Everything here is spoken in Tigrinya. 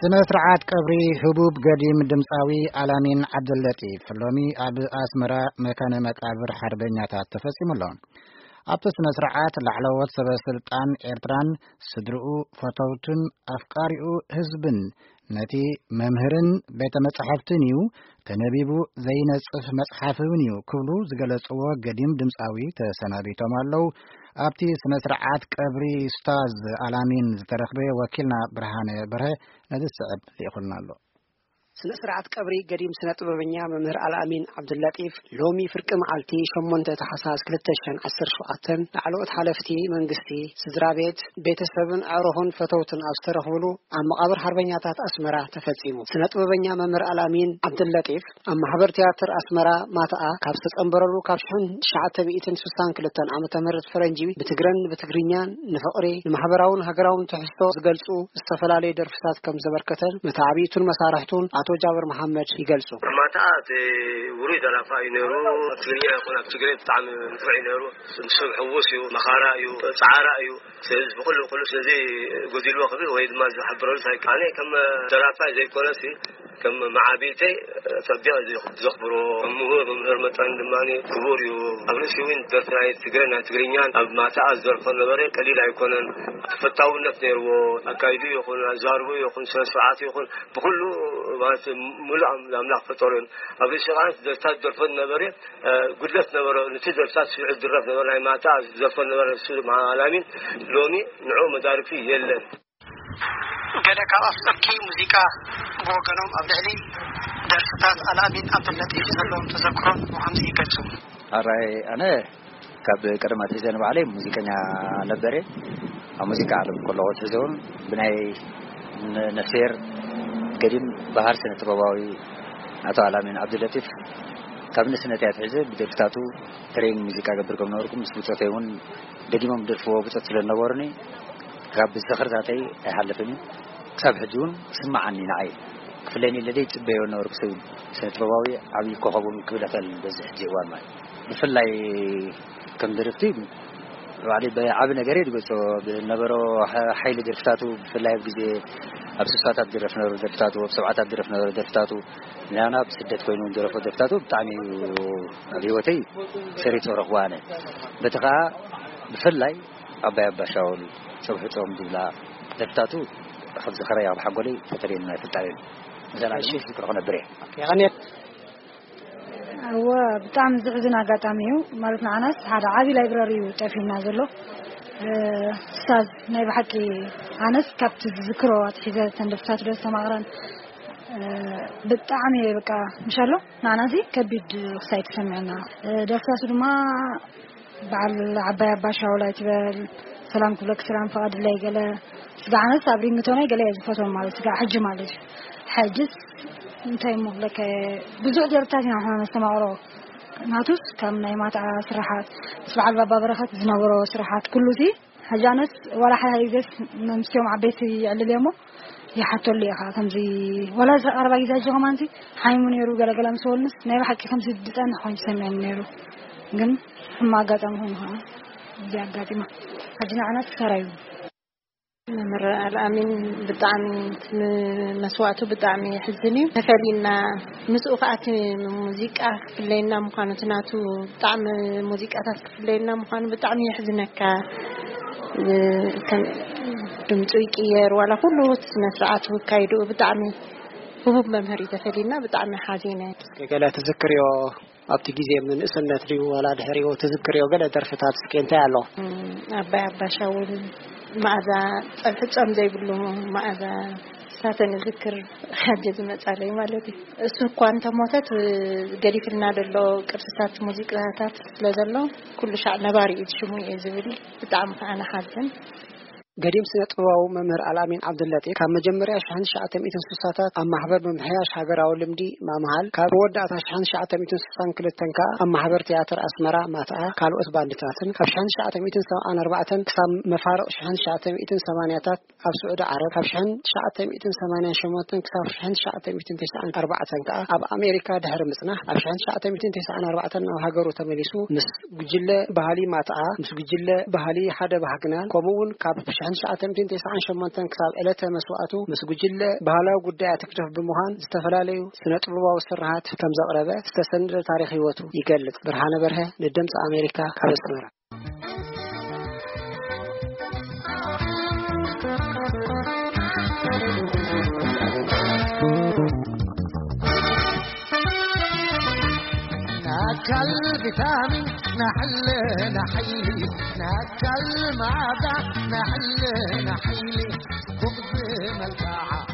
ስነ ስርዓት ቀብሪ ህቡብ ገዲም ድምፃዊ ኣላሚን ዓብደለጢፍ ሎሚ ኣብ ኣስመራ መካነ መቃብር ሓርበኛታት ተፈጺሙ ኣሎ። ኣብቲ ስነ ስርዓት ላዕለዎት ሰበ ስልጣን ኤርትራን ስድርኡ፣ ፈተውቱን ኣፍቃሪኡ ህዝብን፣ ነቲ መምህርን ቤተ መጻሕፍትን እዩ፣ ተነቢቡ ዘይነጽፍ መጽሓፍ እውን እዩ ክብሉ ዝገለጽዎ ገዲም ድምፃዊ ተሰናቢቶም ኣለዉ። ኣብቲ ስነ ስርዓት ቀብሪ ኡስታዝ ኣላሚን ዝተረኽበ ወኪልና ብርሃነ በርሀ ነዚ ዝስዕብ ልኢኹልና ኣሎ። ስነ ስርዓት ቀብሪ ገዲም ስነ ጥበበኛ መምህር ኣልኣሚን ዓብዱላጢፍ ሎሚ ፍርቂ መዓልቲ ሸሞንተ ታሕሳስ ክልተ ሽሕን ዓሰርተ ሸውዓተን ላዕለዎት ሓለፍቲ መንግስቲ፣ ስድራ ቤት፣ ቤተሰብን ኣዕሩኹን ፈተውትን ኣብ ዝተረኽብሉ ኣብ መቓብር ሓርበኛታት ኣስመራ ተፈጺሙ። ስነ ጥበበኛ መምህር ኣልኣሚን ዓብዱላጢፍ ኣብ ማሕበር ትያትር ኣስመራ ማትኣ ካብ ዝተጸንበረሉ ካብ ሽሕን ትሽዓተ ሚእትን ስሳን ክልተን ዓመተ ምህረት ፈረንጂ ብትግረን ብትግርኛን ንፍቕሪ ንማሕበራውን ሃገራውን ትሕዝቶ ዝገልጹ ዝተፈላለዩ ደርፍታት ከም ዘበርከተን መተዓብይቱን መሳርሕቱን ኣቶ ጃብር መሓመድ ይገልጹ። ማትኣ እቲ ውሩይ ደራፋ እዩ ነይሩ። ኣብ ትግርኛ ይኹን ኣብ ትግርኛ ብጣዕሚ ንፉዕ እዩ ነይሩ። ንሱ ሕዉስ እዩ፣ መኻራ እዩ፣ ጻዕራ እዩ። ስለዚ ብኹሉ ኩሉ ስለዚ ጎዲልዎ ክብል ወይ ድማ ዝሕብረሉ ሳይክ ኣነ ከም ደራፋይ ዘይኮነሲ ከም መዓቢተይ ጸቢቕ ዘኽብሮ ምሁር መምህር መጠን ድማ ክቡር እዩ። ኣብ ርእሲ እውን ደርፊ ናይ ትግረ ናይ ትግርኛን ኣብ ማትኣ ዝደርፎ ነበረ ቀሊል ኣይኮነን። ተፈታውነት ነይርዎ። ኣካይዱ ይኹን ኣዛርቡ ይኹን ስነ ስርዓት ይኹን ብኩሉ ማለት ሙሉእ ኣም- ኣምላኽ ፈጠሩን ኣብ ርእሲ ከዓ ደርፍታት ዝደርፎ ነበረ። ጉድለት ነበረ። ነቲ ደርፍታት ስዑ ዝድረፍ ነበረ ናይ ማታ ዝደርፎ ነበረ። እሱ ማላሚን ሎሚ ንዑ መዳርግቲ የለን። ገለ ካብ ኣፍቀርቲ ሙዚቃ ብወገኖም ኣብ ልዕሊ ደርፍታት ኣልኣሚን ዓብደልለጢፍ ዘለዎም ተዘክሮን ብኸምዚ ይገልጹ። ኣራይ ኣነ ካብ ቀደም ኣትሒዘ ንባዕለይ ሙዚቀኛ ነበረ። ኣብ ሙዚቃ ዓለም ከለኹ ኣትሒዘ እውን ብናይ ነ- ነፍሴር ገዲም ባህር ስነ ጥበባዊ ኣቶ ኣላሚን ዓብዱለጢፍ ካብ ንእስነተይ ኣትሒዘ ብደርፍታቱ ትሬኒንግ ሙዚቃ ገብር ከም ነበርኩ ምስ ብጾተይ እውን ደጊሞም ደርፍዎ ብጾት ስለ ዝነበሩኒ ካብ ዝኽርታተይ ኣይሓልፍን እዩ። ክሳብ ሕጂ እውን ክስምዓኒ ንዓይ ክፍለኒ ለደይ ጽበዮ ነበርኩ ሰብ ስነ ጥበባዊ ዓብዪ ኮኸብ እውን ክብል እኽእል በዚ ሕጂ እዋን ማለት ብፍላይ ከም ደረፍቲ ባዕለይ ብዓቢ ነገር እየ ዝገልጾ። ብነበሮ ሓ- ሓይሊ ደርፍታቱ ብፍላይ ኣብ ግዜ ኣብ ስሳታት ዝደረፍ ነበሩ ደርፍታቱ ኣብ ሰብዓታት ዝደረፍ ነበሩ ደርፍታቱ ናና ብስደት ኮይኑ ዝደረፎ ደርፍታቱ ብጣዕሚ እዩ ኣብ ህይወተይ ሰሪጾ ረኽቦ ኣነ። በቲ ኸኣ ብፍላይ ኣባይ ኣባሻውል ጸብሑ ጾም ዝብላ ደርፍታቱ ካብ ዝኸረይ ኣብ ሓጎለይ ተተሪየኒ ኣይፈልጣን እየን። እዘን ኣነ ዝክሮ ክነብር እየ። የቐንየት። እወ፣ ብጣዕሚ ዝሕዝን ኣጋጣሚ እዩ። ማለት ንዓናስ ሓደ ዓቢ ላይብረሪ እዩ ጠፊና ዘሎ። እ፣ ስታዝ ናይ ብሓቂ ኣነስ ካብቲ ዝዝክሮ ኣትሒዘ ተንደፍታት ዶ ዝተማቕረን፣ እ፣ ብጣዕሚ እየ በቃ ምሻሎ ንዓናዚ ከቢድ ክሳይ ተሰሚዐና። እ፣ ደርፍታቱ ድማ በዓል ዓባይ ኣባ ሻውል ኣይትበል፣ ሰላም ክብለክ ሰላም ፍቓድለይ ገለ ስጋዕ ኣነስ ኣብ ሪንግቶናይ ገለ እየ ዝፈትዎም ማለት ስጋዕ ሕጂ ማለት እዩ። ሕጅስ እንታይ እሞ ክብለከ ብዙሕ ደርፍታት ኢና ንሕና ነስተማቕሮ ናቱስ ከም ናይ ማትዓ ስራሓት ምስ በዓል ባባ በረኸት ዝነበሮ ስራሓት ኩሉ ሲ ሕጂ ኣነስ ዋላ ሓደ ግዜስ ምስኦም ዓበይቲ ይዕልል እየ እሞ ይሓተሉ ኢኻ ከምዚ ዋላ እዚ ቀረባ ግዜ ሕጂ ከማንሲ ሓሚሙ ነይሩ ገለገለ ምስ በሉንስ ናይ ብሓቂ ከምዚ ዝፀንሕ ኮይኑ ተሰሚዐኒ ነይሩ። ግን ሕማ ኣጋጣሚ ኮይኑ ከዓ እዚ ኣጋጢማ ሕጂ ንዓና ትሰራዩ። መምህር ኣልኣሚን ብጣዕሚ መስዋእቱ ብጣዕሚ የሕዝን እዩ። ተፈሊና ምስኡ ከዓ እቲ ሙዚቃ ክፍለየና ምዃኑ እቲ ናቱ ብጣዕሚ ሙዚቃታት ክፍለየና ምዃኑ ብጣዕሚ የሕዝነካ። ከም ድምፁ ይቅየር ዋላ ኩሉ እቲ ስነ ስርዓቱ ክካይድኡ ብጣዕሚ ህቡብ መምህር እዩ ተፈሊና ብጣዕሚ ሓዚነ። እስከ ገለ ትዝክርዮ ኣብቲ ግዜ ምንእስነት ድዩ ዋላ ድሕሪኡ ትዝክርዮ ገለ ደርፍታት እስከ እንታይ ኣሎ? ኣባይ ኣባሻውን መኣዛ ጸብሒ ጾም ዘይብሉ መኣዛ ሳተን ዝክር ሓጀ ዝመጻለይ ማለት እዩ። እሱ እኳ እንተሞተት ገዲፍልና ዘሎ ቅርስታት ሙዚቃታት ስለ ዘሎ ኩሉ ሻዕ ነባሪ እዩ ሽሙ እየ ዝብል። ብጣዕሚ ከዓ ንሓዝን። ገዲም ስነ ጥበባዊ መምህር ኣልኣሚን ዓብዱለጢፍ ካብ መጀመርያ ሽሕን ትሽዓተ ሚእትን ስሳታት ኣብ ማሕበር ምምሕያሽ ሃገራዊ ልምዲ ማምሃል ካብ መወዳእታ ሽሕን ትሽዓተ ሚእትን ስሳን ክልተን ከኣ ኣብ ማሕበር ትያትር ኣስመራ ማትኣ ካልኦት ባንድታትን ካብ ሽሕን ትሽዓተ ሚእትን ሰብዓን ኣርባዕተን ክሳብ መፋርቕ ሽሕን ትሽዓተ ሚእትን ሰማንያታት ኣብ ስዑዲ ዓረብ ካብ ሽሕን ትሽዓተ ሚእትን ሰማንያን ሸሞንተን ክሳብ ሽሕን ትሽዓተ ሚእትን ተስዓን ኣርባዕተን ከኣ ኣብ ኣሜሪካ ድሕሪ ምጽናሕ ኣብ ሽሕን ትሽዓተ ሚእትን ተስዓን ኣርባዕተን ናብ ሃገሩ ተመሊሱ ምስ ጉጅለ ባህሊ ማትኣ ምስ ጉጅለ ባህሊ ሓደ ባህግናል ከምኡ እውን ካብ ትሽዓተ ሚእትን ተስዓን ሸሞንተን ክሳብ ዕለተ መስዋእቱ ምስ ጉጅለ ባህላዊ ጉዳያት ህግደፍ ብምዃን ዝተፈላለዩ ስነ ጥበባዊ ስርሓት ከም ዘቕረበ ዝተሰነደ ታሪኽ ህይወቱ ይገልጽ። ብርሃነ በርሀ ንድምፂ ኣሜሪካ ካብ ኣስመራ። ናካል ቪታሚን ናሕለ ናሕሊ ናካል ማዳ ናሕለ ናሕሊ ኩብዝ መልካዓ